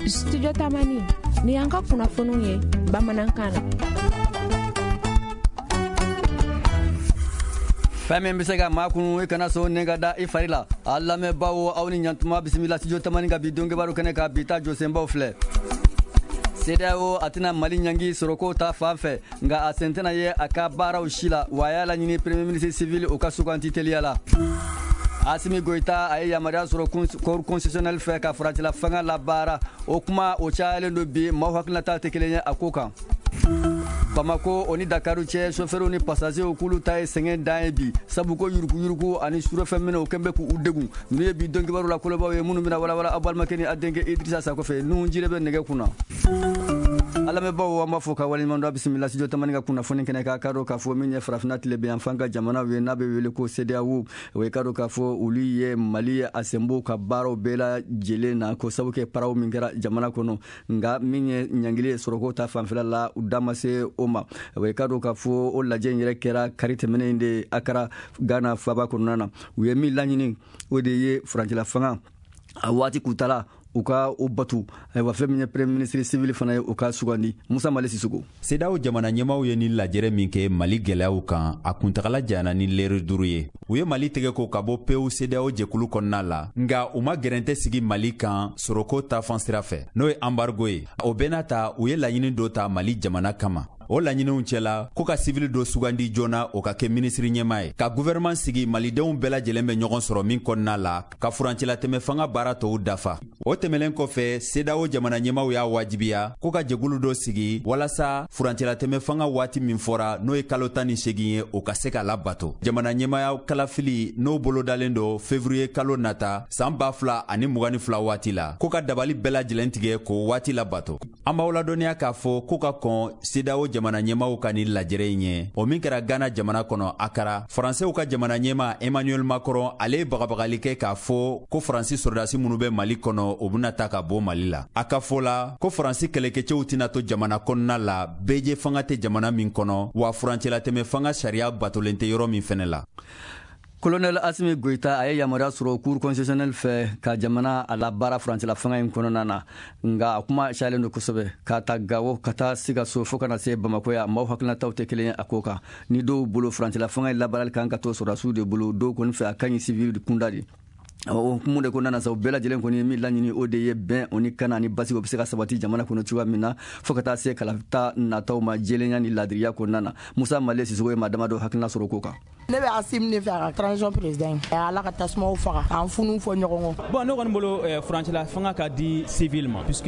Studio Tamani ni y'an ka kunnafoniw ye bamanankan na. Fɛn min bɛ se ka maa kunu, i kana sɔn ne ka da i fari la. A lamɛnbaaw, aw ni ɲantuma, bisimila Studio Tamani ka bi don kibaru kɛnɛ kan. Bi ta jɔsenbaw filɛ: CEDEAO a tɛna Mali ɲangi sɔrɔko ta fan fɛ, nka a sen tɛna ye a ka baaraw si la. Wa a y'a laɲini premier ministre civil o ka suganti teliya la. Asimi Goyita a ye yamaruya sɔrɔ Cour constitutionnelle fɛ ka furancɛla fanga labaara. O kuma o cayalen don bi, maaw hakilinata tɛ kelen ye a ko kan. Bamako o ni Dakaru cɛ, sofɛriw ni passagerw k'olu ta ye sɛgɛn dan ye bi, sabu ko yuruguyurugu ani surɔfɛn o kɛn bɛ k'u degun. Ninnu ye bi don kibaru la kolobaw ye minnu bɛna walawala aw balimakɛ ni a denkɛ Idrissa Sakɔ fɛ. Nuhu Jire bɛ nɛgɛ kunna. A lamɛnbaaw, an b'a fɔ ka waleɲuman dɔn. Bisimila Studio Tamani ka kunnafoni kɛnɛ kan. K'a dɔn k'a fɔ min ye farafinna tilebinyanfan ka jamanaw ye n'a bɛ wele ko CEDEAO, o ye k'a dɔn k'a fɔ olu ye Mali a senbɔ ka baaraw bɛɛ lajɛlen na, ko sabu kɛ paraw min kɛra jamana kɔnɔ, nka min ye ɲangili ye sɔrɔko ta fanfɛla la, u da ma se o ma. O ye k'a dɔn k'a fɔ o lajɛ in yɛrɛ kɛra kari tɛmɛnen in de Akara, Ghana faaba kɔnɔna na. U ye min laɲini, o de ye furancɛla fanga a waati kuntala u ka o batu. Ayiwa, fɛn min ye premier ministre civil fana ye, u ka sugandi. Musa Mali Sisoko. CEDEAO jamana ɲɛmaw ye ni lajɛrɛ min kɛ Mali gwɛlɛyaw kan, a kuntagala janyana ni lɛri 5 ye. U ye Mali tɛgɛ ko ka bɔ pewu CEDEAO jɛkulu kɔnɔna la, nga u ma gɛrɛntɛ sigi Mali kan sɔrɔko tafan sira fɛ, n'o ye embargo ye. O bɛɛ n'a ta, u ye laɲini dɔ ta Mali jamana kama. O laɲiniw cɛla, ko ka sivili dɔ sugandi joona, o ka kɛ minisiri ɲɛma ye, ka guvɛrɛnman sigi malidenw bɛɛ lajɛlen bɛ ɲɔgɔn sɔrɔ min kɔnɔna la, ka furancɛlatɛmɛ fanga baara tɔw dafa. O tɛmɛlen kɔfɛ, CEDEAO jamana ɲɛmaw y'a wajibiya ko ka jɛkulu dɔ sigi walasa furancɛlatɛmɛ fanga waati min fɔra, n'o ye kalo 18 ye, o ka se ka labato. Jamana ɲɛmaya kalafili n'o bolodalen don fevrier kalo nata san 2022 waati la, ko ka dabali bɛɛ lajɛlen tigɛ k'o waati labato. An b'aw ladɔnniya k'a fɔ ko ka kɔn CEDEAO jamana ɲɛmaw ka nin lajɛrɛ in ye, o min kɛra Ghana jamana kɔnɔ Akara, Faransɛw ka jamana ɲɛma Emmanuel Macron, ale ye bagabagali kɛ k'a fɔ ko Faransi sɔrɔdasi minnu bɛ Mali kɔnɔ, o bɛna ta ka bɔ Mali la. A ka fɔ la ko Faransi kɛlɛkɛcɛw tɛna to jamana kɔnɔna la bɛɛjɛ fanga tɛ jamana min kɔnɔ, wa furancɛlatɛmɛ fanga sariya batolen tɛ yɔrɔ min fɛnɛ la. Colonel Asimi Goïta a ye yamaruya sɔrɔ Cour constitutionnelle fɛ ka jamana a labaara furancɛla fanga in kɔnɔna na, nka a kuma cayalen don kosɛbɛ. K'a ta Gawo ka taa Sikaso fo ka na se Bamako yan, maaw hakilinataw tɛ kelen ye a ko kan. Ni dɔw bolo, furancɛla fanga in labaarali kan ka to sɔrɔdasiw de bolo, dɔw kɔni fɛ a ka ɲi civil kunda de. O hukumu de kɔnɔna na sa, o bɛɛ lajɛlen kɔni ye min laɲini, o de ye bɛn o ni kana ni basigi o bɛ se ka sabati jamana kɔnɔ cogoya min na, fo ka taa se kalata nataw ma jɛlenya ni ladiriya kɔnɔna na. Musa Male Sisoko ye maa damadɔ hakilina sɔrɔ ko kan. Ne bɛ Asimi de fɛ a ka transition président ye. Ala ka tasumaw faga k'an funu fɔ ɲɔgɔn kɔ. Bon, ne kɔni bolo, furancɛla fanga ka di civil ma, puisque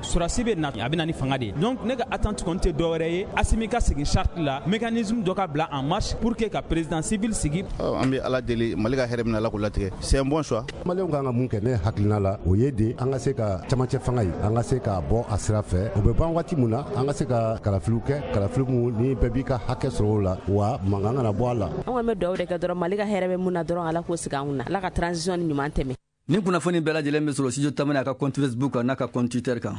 sɔrɔdasi bɛ na, a bɛ na ni fanga de ye. Donc ne ka attente kɔni tɛ dɔwɛrɛ ye, Asimi ka segin charte la, mécanisme dɔ ka bila en marche pour que ka président civil sigi. An bɛ Ala deli, Mali ka hɛrɛ min, Ala k'o latigɛ. C'est un bon choix. Maliyɛnw kan ka mun kɛ? Ne hakilina la, o ye de an ka se ka camancɛ fanga ye, an ka se ka bɔ a sira fɛ. O bɛ ban waati mun na, an ka se ka kalafiliw kɛ, kalafili mun ni bɛɛ b'i ka hakɛ sɔrɔ o la, wa mankan kana bɔ a la. An kɔni bɛ dugawu de kɛ dɔrɔn, Mali ka hɛrɛ bɛ mun na dɔrɔn, Ala k'o sigi an kunna, Ala ka transition ni ɲuman tɛmɛ. Nin kunnafoni bɛɛ lajɛlen bɛ sɔrɔ Studio Tamani a ka compte Facebook kan n'a ka compte Twitter kan.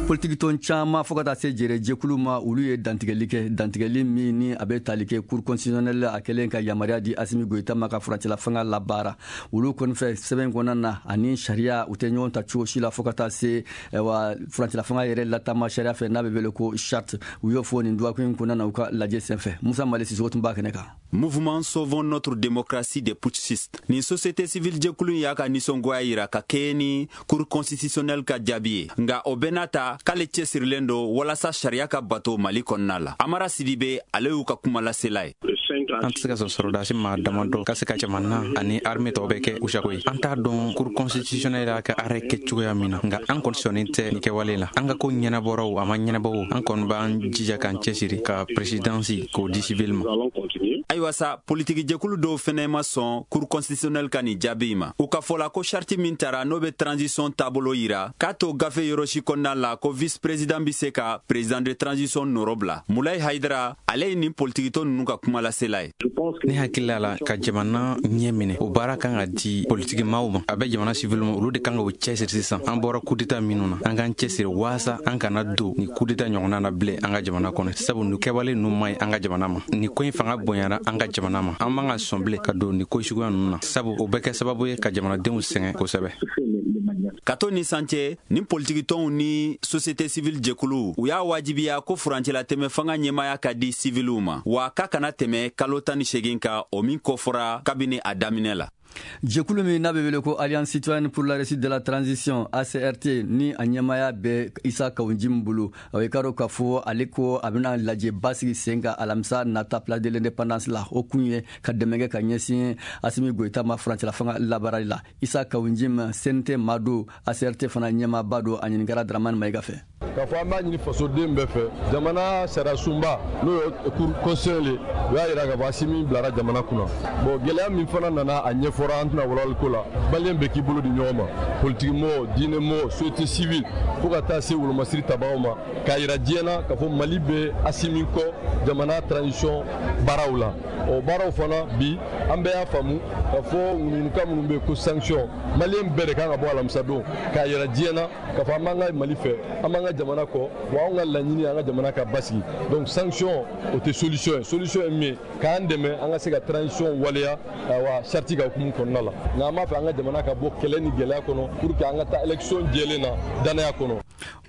Politiki tɔn caman fo ka taa se jɛrɛ jɛkulu ma, olu ye dantigɛli kɛ, dantigɛli min ni a bɛ tali kɛ Cour constitutionnelle a kɛlen ka yamaruya di Asimi Goyita ma ka furancɛla fanga labaara. Olu kɔni fɛ, sɛbɛn kɔnɔna na ani sariya u tɛ ɲɔgɔn ta cogo si la, fo ka taa se wa furancɛla fanga yɛrɛ latama sariya fɛ n'a bɛ wele ko charte. U y'o fɔ nin dɔgɔkun in kɔnɔna na u ka lajɛ senfɛ. Musa Mali Sisoko tun b'a kɛnɛ kan. Mouvement Sauvons notre démocratie des putschistes. Nin société civile jɛkulu y'a ka nisɔngoya yira ka kɛɲɛ ni Cour constitutionnelle ka jaabi ye. Nka o bɛɛ n'a ta, k'ale cɛsirilen don walasa sariya ka bato Mali kɔnɔna la. Amara Sidibe, ale y'u ka kumalasela ye. An tɛ se ka sɔn sɔrɔdasi maa damadɔ ka se ka jamana ani armée tɔw bɛɛ kɛ u sago ye. An t'a dɔn Cour constitutionnelle y'a ka arrêt kɛ cogoya min na, nka an kɔni sɔnnen tɛ nin kɛwale la. An ka ko ɲɛnabɔra o, a ma ɲɛnabɔ o, an kɔni b'an jija k'an cɛsiri ka présidence k'o di civil ma. Ayiwa sa, politiki jɛkulu dɔw fɛnɛ ma sɔn Cour constitutionnelle ka nin jaabi in ma. U ka fɔ la ko charte min tara, n'o bɛ transition taabolo yira, k'a to gafe yɔrɔ si kɔnɔna la ko vice président bɛ se ka président de transition nɔrɔ bila. Mulayi Hayidara, ale ye nin politikitɔn ninnu ka kuma lasela. la ye. Ne hakili la ka jamana ɲɛ minɛ, o baara kan ka di politikimaw ma, a bɛ jamana siviliw ma, olu de kan ka o cɛsiri. Sisan an bɔra kudeta minnu na, an k'an cɛsiri waasa an kana don ni kudeta ɲɔgɔnna na bilen an ka jamana kɔnɔ, sabu nin kɛwale ninnu man ɲi an ka jamana ma. Nin ko in fanga bonyana an ka jamana ma, an man ka sɔn bilen ka don nin ko suguya ninnu na, sabu o bɛ kɛ sababu ye ka jamanadenw sɛgɛn kosɛbɛ. Ka to ni san cɛ, ni politikitɔnw ni société civile jɛkuluw, u y'a wajibiya ko furancɛlatɛmɛ fanga ɲɛmaya ka di siviliw ma, wa k'a kana tɛmɛ kalo 18 kan, o min kofɔra kabini a daminɛ la. Jɛkulu min n'a bɛ wele ko Alliance citoyenne pour la réussite de la transition, ACRT, ni a ɲɛmaya bɛ Isa Kawu Jim bolo, o ye k'a dɔn k'a fɔ ale ko a bɛna lajɛba sigi sen kan alamisa nata Place de l'Indépendance la. O kun ye ka dɛmɛ kɛ ka ɲɛsin Asimi Goyita ma furancɛla fanga labaarali la. Isa Kawu Jim, CNT maa don, ACRT fana ɲɛmaaba don, a ɲininkara Dramani Mayiga fɛ. K'a fɔ an b'a ɲini fasoden bɛɛ fɛ, jamana sariya sunba, n'o ye Cour constitutionnelle ye, o y'a yira k'a fɔ Asimi bilara jamana kunna. Bon, gɛlɛya min fana nana, a ɲɛfɔra, an tɛna walawali ko la. Maliyɛn bɛɛ k'i bolo di ɲɔgɔn ma, politiki mɔgɔ, diinɛ mɔgɔ, société civile, fo ka taa se wolomasiri tabagaw ma, k'a yira diɲɛ na k'a fɔ Mali bɛ Asimi kɔ jamana transition baaraw la. O baaraw fana bi, an bɛɛ y'a faamu k'a fɔ ŋunuŋunukan minnu bɛ yen ko sanction, maliyɛn bɛɛ de kan ka bɔ alamisa don k'a yira diɲɛ na k'a fɔ an b'an ka Mali fɛ, an b'an ka jamana kɔ, wa anw ka laɲini, an ka jamana ka basigi. Donc sanction, o tɛ solution ye. Solution ye min ye, k'an dɛmɛ an ka se ka transition waleya, awa, charte ka hukumu kɔnɔna la. Nka an b'a fɛ an ka jamana ka bɔ kɛlɛ ni gɛlɛya kɔnɔ pour que an ka taa élection jɛlen na, danaya kɔnɔ.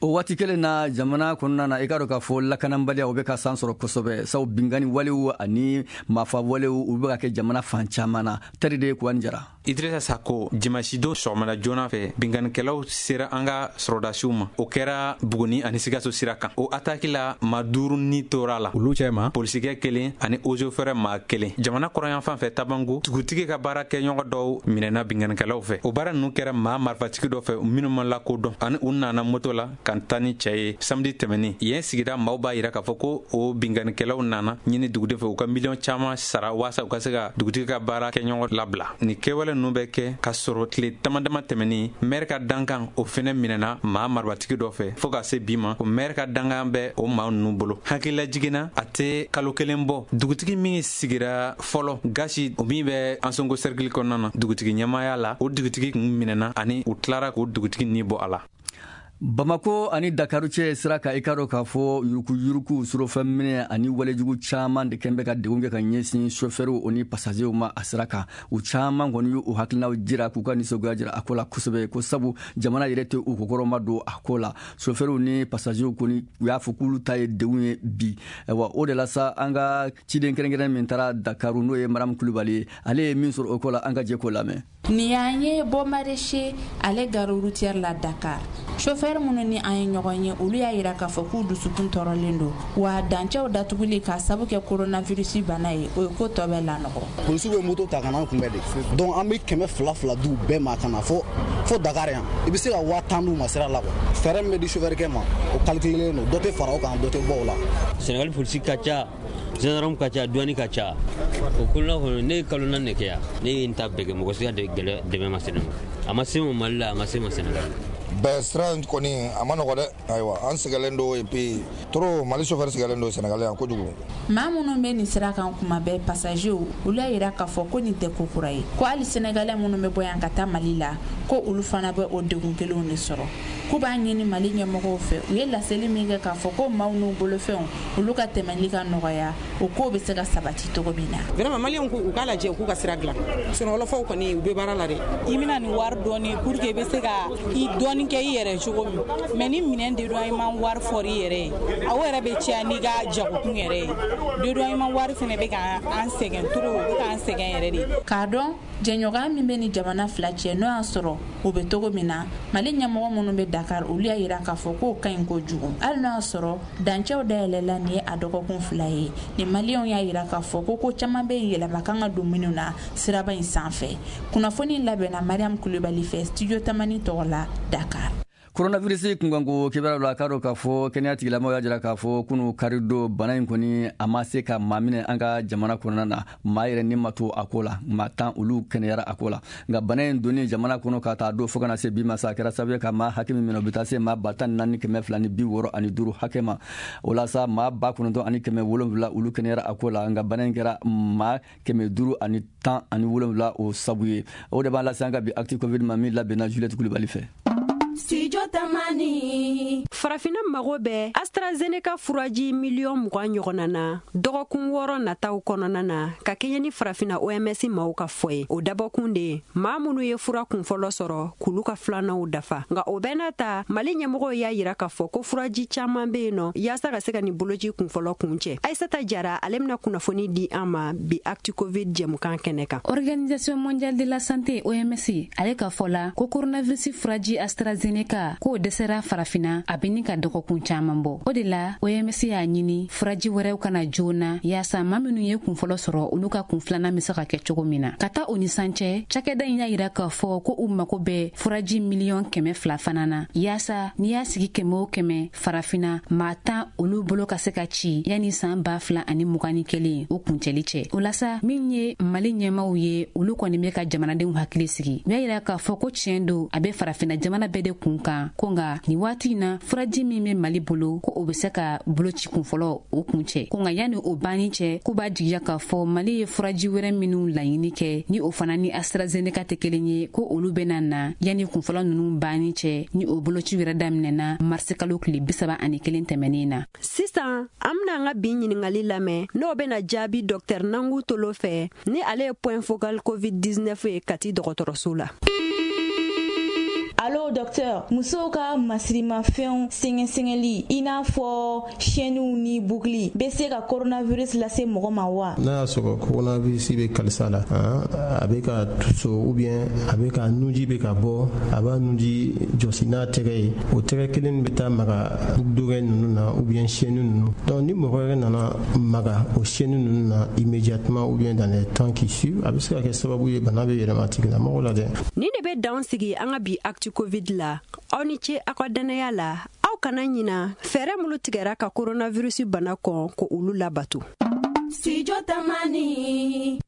O waati kelen na, jamana kɔnɔna na, i k'a dɔn k'a fɔ lakanabaliya, o bɛ ka san sɔrɔ kosɛbɛ, sabu bingani walew ani maafa walew, u bɛ ka kɛ jamana fan caman na. Tari de Kuwani Jara. Idrissa Sako, dimanche don sɔgɔmada joona fɛ, binganikɛlaw sera an ka sɔrɔdasiw ma. O kɛra Buguni ani Sikaso sira kan. O ataki la, ma duuru ni tora la, olu cɛ ma polisikɛ kelen ani eaux et forêts maa kelen. Jamana kɔrɔyanfan fɛ, Tabango, dugutigi ka baara kɛ ɲɔgɔn dɔw minɛna binganikɛlaw fɛ. O baara nunu kɛra maa marifatigi dɔ fɛ minnu ma lakodɔn, ani u nana moto la ka taa ni cɛɛ ye samedi tɛmɛnin. Yen sigida maaw b'a yira k'a fɔ ko o binganikɛlaw nana ɲini duguden fɛ u ka miliyɔn caaman sara waasa u ka se ka dugutigi ka baara kɛ ɲɔgɔn labila. Ni kɛwale nunu bɛ kɛ ka sɔrɔ tile dama dama tɛmɛnin, mɛri ka dankan, o fɛnɛ minɛna maa marifatigi dɔ fɛ. Fɔɔ ka se bi ma, o mɛri ka dankan bɛ o maa nunu bolo. Hakilila jiginna, a tɛ kalo kelen bɔ, dugutigi min sigira fɔlɔ Gasi, o min bɛ Ansongo cercle kɔnɔna na dugutigi ɲɛmaya la, o dugutigi kun minɛna ani u tilara k'o dugutigi ni bɔ a la. Bamako ani Dakaru cɛ sira kan, i k'a dɔn k'a fɔ yurukuyuruku, surɔfɛn minɛ ani walejugu caman de kɛn bɛ ka degun kɛ ka ɲɛsin sofɛriw o ni pasazɛw ma a sira kan. U caman kɔni y'u hakilinaw jira k'u ka nisɔngoya jira a ko la kosɛbɛ, ko sabu jamana yɛrɛ tɛ u kɔkɔrɔma don a ko la. Sofɛriw ni pasazɛw kɔni, u y'a fɔ k'olu ta ye degun ye bi. Wa o de la sa, an ka ciden kɛrɛnkɛrɛn min taara Dakaru, n'o ye Maramu Kulubali ye, ale ye min sɔrɔ o ko la, an ka jɛ k'o lamɛn. Nin y'an ye Bon Marché, ale gare routière la Dakar. Chauffeur minnu ni an ye ɲɔgɔn ye, olu y'a yira k'a fɔ k'u dusukun tɔɔrɔlen don, wa dancɛw datuguli k'a sabu kɛ coronavirus bana ye, o ye ko tɔ bɛɛ lanɔgɔ. Polisiw bɛ moto ta ka n'an kunbɛn de, donc an bɛ 200 fila d'u bɛɛ ma ka na fo Dakar yan. I bɛ se ka 10 000 d'u ma sira la quoi. Fɛɛrɛ min bɛ di chauffeur kɛ ma, o calculelen don, dɔ tɛ fara o kan, dɔ tɛ bɔ o la. Sénégal polisi ka ca, gendarme ka ca, douane ka ca. O kɔnɔna kɔnɔ, ne ye kalo 4 de kɛ yan. Ne ye n ta bɛɛ kɛ, mɔgɔ si ka dɛmɛ ma se ne ma. A ma se ma Mali la, a ma se ma Sénégal. Bɛɛ sira in kɔni, a ma nɔgɔ dɛ. Ayiwa, an sɛgɛlen don, et puis trop, Mali chauffeur sɛgɛlen don Sénégal yan kojugu. Maa minnu bɛ nin sira kan kuma bɛɛ, passagerw, olu y'a yira k'a fɔ ko nin tɛ ko kura ye, ko hali sénégalais minnu bɛ bɔ yan ka taa Mali la, ko olu fana bɛ o degun kelenw de sɔrɔ. K'u b'a ɲini Mali ɲɛmɔgɔw fɛ, u ye laseli min kɛ k'a fɔ ko maaw n'u bolofɛnw, olu ka tɛmɛli ka nɔgɔya, o kow bɛ se ka sabati cogo min na. Vraiment, maliyɛnw ko u k'a lajɛ, u k'u ka sira dilan. Sunɔgɔlɔfaw kɔni, u bɛ baara la dɛ. I bɛna nin wari dɔɔni pour que i bɛ se ka i dɔɔni kɛ i yɛrɛ cogo min, mais ni minɛn dédouanement wari fɔra i yɛrɛ ye, a o yɛrɛ bɛ caya n'i ka jagokun yɛrɛ ye. Dédouanement wari fana bɛ ka an sɛgɛn trop, o bɛ k'an sɛgɛn yɛrɛ de. K'a dɔn jɛɲɔgɔnya min bɛ ni jamana fila cɛ, n'o y'a sɔrɔ o bɛ cogo min na, Mali ɲɛmɔgɔ minnu bɛ Dakar, olu y'a yira k'a fɔ k'o ka ɲi kojugu. Hali n'o y'a sɔrɔ dancɛw dayɛlɛla nin ye a dɔgɔkun 2 ye ni, maliyɛnw y'a yira k'a fɔ ko ko caman bɛ yɛlɛma kan ka don minnu na siraba in sanfɛ. Kunnafoni labɛnna Mariam Kulubali fɛ, Studio Tamani tɔgɔ la, Dakar. Coronavirus kunkanko kibaruyaw la, k'a dɔn k'a fɔ kɛnɛya tigilamɔgɔw y'a jira k'a fɔ kunu karidon, bana in kɔni a ma se ka maa minɛ an ka jamana kɔnɔna na. Maa yɛrɛ ni ma to a ko la, maa 10 olu kɛnɛyara a ko la. Nka bana in donni jamana kɔnɔ ka taa don fo ka na se bi ma sa, a kɛra sababu ye ka maa hakɛ min minɛ, o bɛ taa se maa 14,265 hakɛ ma. O la sa, maa 9,700 olu kɛnɛyara a ko la. Nka bana in kɛra maa 517 o sabu ye. O de b'an lase an ka bi Actu Covid ma, min labɛnna Juliette Kulibali fɛ. Studio Tamani. Farafinna mago bɛ AstraZeneca furaji miliyɔn 20 ɲɔgɔnna na dɔgɔkun 6 nataw kɔnɔna na, ka kɛɲɛ ni Farafinna OMS maaw ka fɔ ye. O dabɔkun de ye maa minnu ye fura kunfɔlɔ sɔrɔ, k'olu ka filananw dafa. Nka o bɛɛ n'a ta, Mali ɲɛmɔgɔw y'a yira k'a fɔ ko furaji caman bɛ yen nɔ yaasa ka se ka nin boloci kunfɔlɔ kun cɛ. Aisata Jara, ale bɛna kunnafoni di an ma bi Actu Covid jɛmukan kɛnɛ kan. Organisation mondiale de la santé, OMS, ale ka fɔ la ko coronavirus furaji AstraZeneca k'o dɛsɛra Farafinna, a bɛ ni ka dɔgɔkun caman bɔ. O de la, OMS y'a ɲini furaji wɛrɛw kana joona, yaasa maa minnu ye kunfɔlɔ sɔrɔ, olu ka kun filanan bɛ se ka kɛ cogo min na. Ka taa o ni san cɛ, cakɛda in y'a yira k'a fɔ ko u mago bɛ furaji miliyɔn 200 fana na, yaasa n'i y'a sigi kɛmɛ o kɛmɛ Farafinna, maa 10 olu bolo ka se ka ci yanni san 2021 o kuncɛli cɛ. O la sa, min ye Mali ɲɛmaw ye, olu kɔni bɛ ka jamanadenw hakili sigi. U y'a yira k'a fɔ ko tiɲɛ don, a bɛ Farafinna jamana bɛɛ de kun kan, ko nka nin waati in na, furaji min bɛ Mali bolo, ko o bɛ se ka boloci kunfɔlɔ o kun cɛ, ko nka yanni o banni cɛ, k'u b'a jigiya k'a fɔ Mali ye furaji wɛrɛ minnu laɲini kɛ, ni o fana ni AstraZeneca tɛ kelen ye, ko olu bɛna na yanni kunfɔlɔ ninnu banni cɛ, ni o boloci wɛrɛ daminɛna marisi kalo tile 31 tɛmɛnen na. Sisan an bena an ka bi ɲiningali lamɛn, n'o bena jaabi Dr Nangu Tolo fɛ, ni ale ye point focal COVID-19 ye Kati dɔgɔtɔrɔso la. Allo docteur, musow ka masirimafɛnw sɛgɛsɛgɛli, i n'a fɔ chaînew ni boucle, bɛ se ka coronavirus lase mɔgɔ ma wa? N'a y'a sɔrɔ coronavirus bɛ kalisa la, a bɛ ka tuso ou bien a bɛ ka nunji bɛ ka bɔ, a b'a nunji jɔsi n'a tɛgɛ ye, o tɛgɛ kelen bɛ taa maga boucle d'oreille ninnu na ou bien chaîne ninnu. Donc ni mɔgɔ wɛrɛ nana maga o chaîne ninnu na, immédiatement ou bien dans les temps qui suivent, a bɛ se ka kɛ sababu ye bana bɛ yɛlɛma a tigilamɔgɔ la dɛ. Nin de bɛ dan sigi an ka bi Actu Covid la. Aw ni ce aw ka dannaya la. Aw kana ɲina fɛɛrɛ minnu tigɛra ka coronavirus bana kɔn, ko olu labato. Studio Tamani.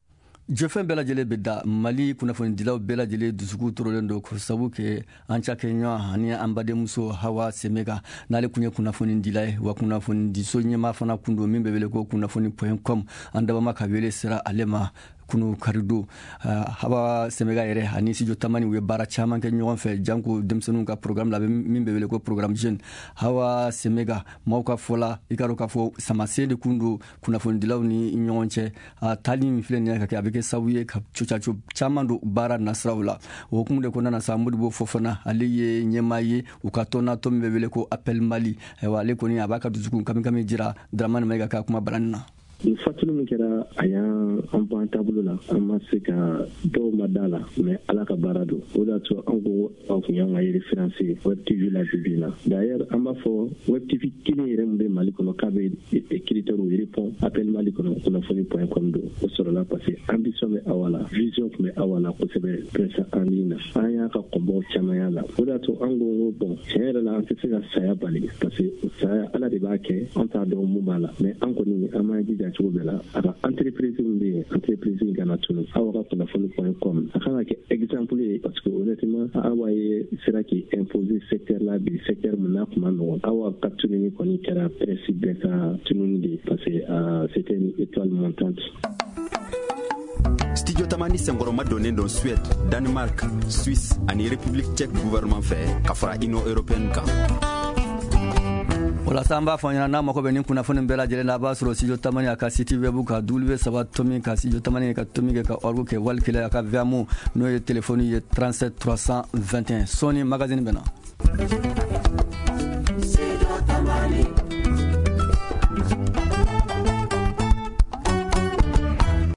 Jɔfɛn bɛɛ lajɛlen bɛ da. Mali kunnafonidilaw bɛɛ lajɛlen dusukun tɔɔrɔlen don, ko sabu kɛ an cakɛɲɔgɔn ani an badenmuso Hawa Semega, n'ale kun ye kunnafonidila ye, wa kunnafonidiso ɲɛmaa fana kun don, min bɛ wele ko kunnafoni.com. An dabama ka wele sera ale ma kunu karido. Hawa Semega yɛrɛ ani Studio Tamani, u ye baara caman kɛ ɲɔgɔn fɛ, janko denmisɛnninw ka programme la, min bɛ wele ko programme jeune. Hawa Semega, maaw ka fɔ la, i ka dɔn k'a fɔ samasen de kun don kunnafonidilaw ni ɲɔgɔn cɛ. A taali min filɛ nin ye ka kɛ, a bɛ kɛ sababu ye ka cocaco caman don baara nasiraw la. O hukumu de kɔnɔna na sa, Modibo Fofana, ale ye ɲɛmaa ye u ka tɔn na, tɔn min bɛ wele ko Appel Mali. Ayiwa, ale kɔni a b'a ka dusukun kami kami jira Dramane Mayiga ka kuma balani na. Nin fatuli min kɛra, a y'an an bɔ an taabolo la, an ma se ka dɔw ma da la, mais Ala ka baara don. O de y'a to an ko aw kun y'an ka référence ye Web TV la bi bi in na. D'ailleurs, an b'a fɔ Web TV kelen yɛrɛ min bɛ Mali kɔnɔ k'a bɛ critères répond, Appel Mali kɔnɔ kunnafoni.com don. O sɔrɔla parce que ambition bɛ Awa la, vision tun bɛ Awa la kosɛbɛ presse en ligne na. An y'a ka kɔnbɔw caman y'a la. O de y'a to an ko bon, tiɲɛ yɛrɛ la, an tɛ se ka saya bali, parce que saya, Ala de b'a kɛ, an t'a dɔn mun b'a la, mais an kɔni an m'an jija cogo bɛɛ la, a ka entreprise min bɛ yen, entreprise in kana tunu. Aw ka kunnafoni.com, a kan ka kɛ exemple ye, parce que honnêtement, Awa ye sera k'i imposer secteur la bi, secteur min n'a kun ma nɔgɔn. Awa ka tununi kɔni kɛra presse bɛɛ ka tununi de ye, parce que c'était une étoile montante. Studio Tamani senkɔrɔma donnen don Suède, Danemark, Suisse ani République tchèque gouvernement fɛ, ka fara Union européenne kan. O la sa, an b'a fɔ ɲɛna, n'a mago bɛ nin kunnafoni bɛɛ lajɛlen na, a b'a sɔrɔ Studio Tamani a ka site web kan, w saba tomi ka Studio Tamani ka tomi kɛ ka org kɛ, wali kelen a ka Viamo, n'o ye telefɔni ye, 37 321. Sɔɔni magazine bɛ na. Studio Tamani.